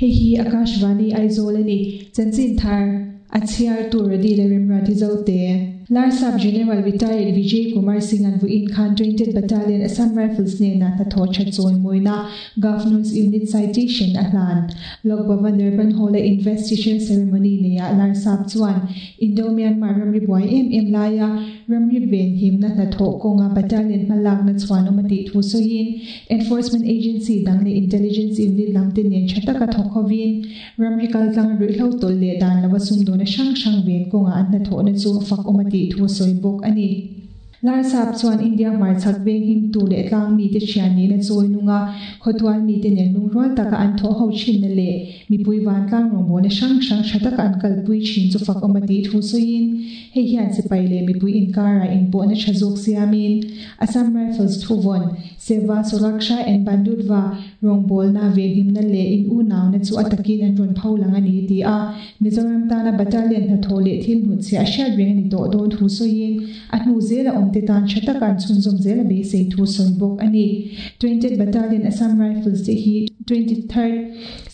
Hei hi Akashvani Aizawl a ni. Chanchin thar a chhiartu Radi leh Remruati Zote. Larsap General Retired Vijay Kumar Singh-a'n vawiin khan 20th Battalion Assam Rifles hnenah hnathawh that chawimawina Governor's Unit Citation a hlan. Lok Bhavan Nirvan Hall-a Investiture Ceremony neiah Larsap chuan Indo-Myanmar ramri buai em em laia ramri venhimna hnathawh kawnga battalion hmalakna chhuanawm a tih thu sawiin Enforcement Agency dang leh Intelligence Unit lamte nen tha taka thawk hovin ramri kaltlanga ruihhlo tawlh leh dan lova sumdawna hrang hrang ven kawngah an hnathawhna chu fakawm a tih thu a sawi bawk a ni. Larsap chuan India hmarchhak veng himtu leh tlang mite thian nihna chawi nunga khawtual mite nen lungrual taka an thawh ho thinna leh mipui vantlang rawngbawlna hrang hrang tha taka an kalpui thin chu fakawm a tih thu sawiin hei hian sipai leh mipui inkarah inpawhna tha zawk siamin Assam Rifles thuvawn Seva, Suraksha and Bandhutva rawngbawlna venhimna leh in unauna chu a takin an rawn pho lang a ni ti a, Mizoram tana battalion hnathawh leh thil hnutchhiah a hriat reng a ni tawh dawn thu sawiin a hnu zela awmte tan tha taka an chhunzawm zel a beisei thu sawi bawk a ni. 20th Battalion Assam Rifles te hi 23rd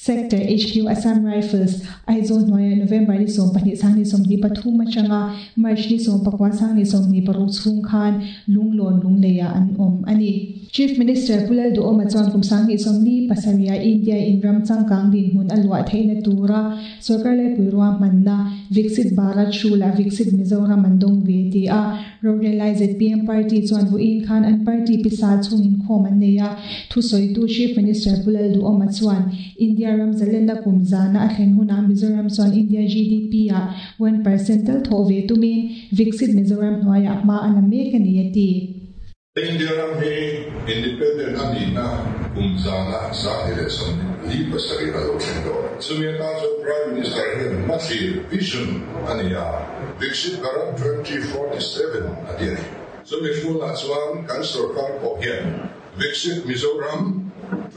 Sector HQ Assam Rifles, Aizawl hnuaiah November ni 12 2023 atanga March ni 19 2026 chhung khan Lunglawn Lungleiah an awm a ni. Chief Minister Pu Lalduhawma chuan kum 2027 ah India in ram changkang dinhmun a luah theihna tura sorkar laipui ruahmanna Viksit Bharat Hrulah Viksit Mizoram an dawng ve ti a. Rorelai zpm party chuan vawiin khan an party pisa chhungin khawm an nei a. Thusawitu Chief Minister Pu Lalduhawma chuan India ram zalenna kum zana a thlen hunah Mizoram chuan India GDP ah 1% tal thawh ve tumin Viksit Mizoram hnuaiah hma a la mek a ni a ti. India ram hi independent a nihna kum zana 127 a lo thleng tawh. Chumi atan chuan Prime Minister hian hmathlir, vision, a nei a, Viksit Bharat 2047 a ti a ni. Chumi hrunah chuan kan sorkar pawh hian Viksit Mizoram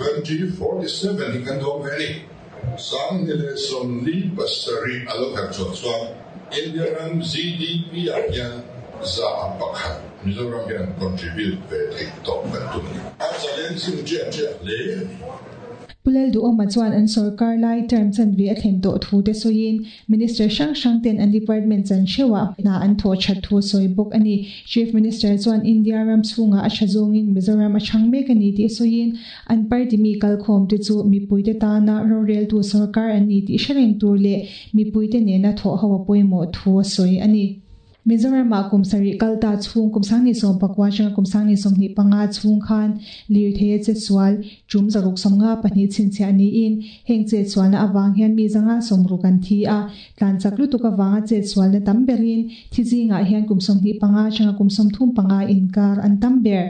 2047 hi kan dawng ve a ni. 2047 a lo herh chhuah chuan India ram GDP ah hian 1% Mizoram hian contribute ve theih tawh kan tum a ni. A challenging ṭiah ṭiah hle a ni. Pu Lalduhawma chuan an sorkar lai term chanve a thlen tawh thu te sawiin Minister hrang hrang ten an department chan hreuhah hna an thawh that thu a sawi bawk a ni. Chief Minister chuan India ram chhungah a tha zawngin Mizoram a chhang mek a ni tih sawiin An party mi kalkhawmte chu mipuite tana roreltu sorkar an ni tih hre reng tur leh mipuite nena thawh ho a pawimawh thu a sawi a ni. Mizoramah kum sarih kal ta chhung kum 2019 atanga kum 2025 chhung khan lirthei a chetsual tum 654 chhinchhiah niin heng chetsualna avang hian mi 160 an thi a, Tlan chak lutuk avanga chetsualna tam berin thi zingah hian kum 25 atanga kum 35 inkar an tam ber.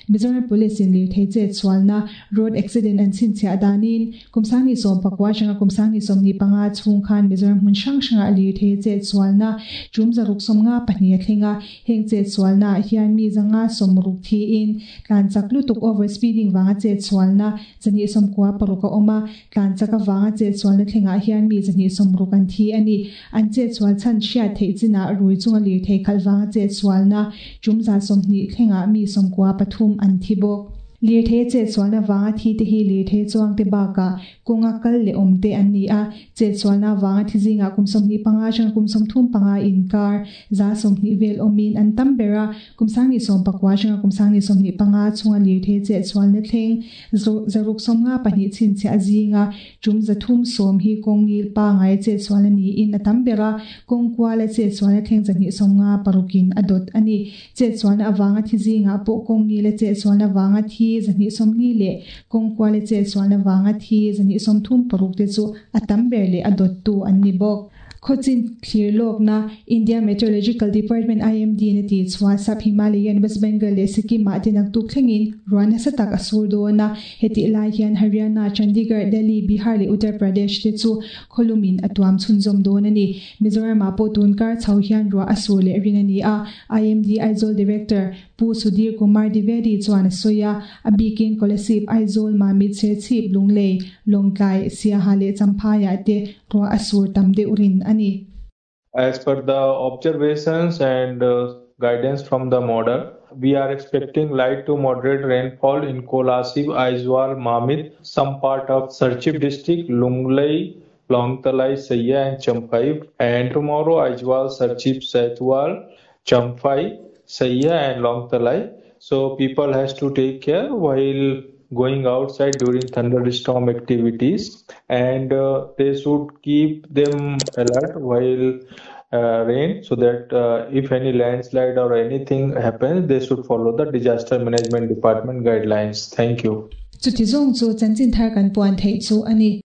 Mizoram Police in lirthei chetsualna, road accident, an chhinchhiah danin kum 2019 atanga kum 2025 chhung khan Mizoram hmun hrang hrangah lirthei chetsualna tum 654 a thleng a. Heng chetsualna ah hian mi 160 thiin tlan chak lutuk over speeding vanga chetsualna 296 a awm a. Tlan chak avanga chetsualna thlengah hian mi 260 an thi a ni. An chetsual chhan hriat theih chinah rui chunga lirthei khalh vanga chetsualna tum 20 thlengah mi 93 an thi bawk. Lirthei chetsualna vanga thi te hi lirthei chuangte bakah kawnga kal leh awm te an ni a. Chetsualna avanga thi zingah kum 25 atanga kum 35 inkar 20% vel awmin an tam ber a. Kum 2019 atanga kum 2025 chhunga lirthei chetsualna thleng 652 chhinchhiah zinga tum 310 hi kawng ngil pangai a chetsualna niin a tam ber a, kawng kual a chetsualna thleng 256 in a dawt a ni. Chetsualna avanga thi zingah pawh kawng ngil a chetsualna vanga thi 240 leh kawng kual a chetsualna vanga thi 236 te chu a tam ber leh a dawttu an ni bawk. Khawchin thlir lawkna, India Meteorological Department, IMD, in a tih chhuah Sub Himalayan, West Bengal leh Sikkim ah te naktuk thlengin ruah nasa tak a sur dawn a. Hetih lai hian Haryana, Chandigarh, Delhi, Bihar leh Uttar Pradesh te chu khawlumin a tuam chhunzawm dawn a ni. Mizoram ah pawh tun kar chho hian ruah a sur leh rin a ni a, IMD Aizawl Director Pu Sudhir Kumar Dwivedi chuan a sawi a, a bikin Kolasib, Aizawl, Mamit, Serchhip, Lunglei, Lawngtlai, Siaha leh Champhaiah te ruah a sur tam deuh rin a ni. As per the observations and guidance from the model. We are expecting light to moderate rainfall in Kolasib, Aizawl, Mamit, some part of Serchhip district, Lunglei, Lawngtlai, Saiha and Champhai. And tomorrow Aizawl, Serchhip, Saitual, Champhai, Saiha and Lawngtlai. So people has to take care while going outside during thunderstorm activities, and they should keep them alert while rain, so that if any landslide or anything happens, they should follow the disaster management department guidelines. Thank you. Chuti zawng chu chanchin thar kan puan theih chu a ni.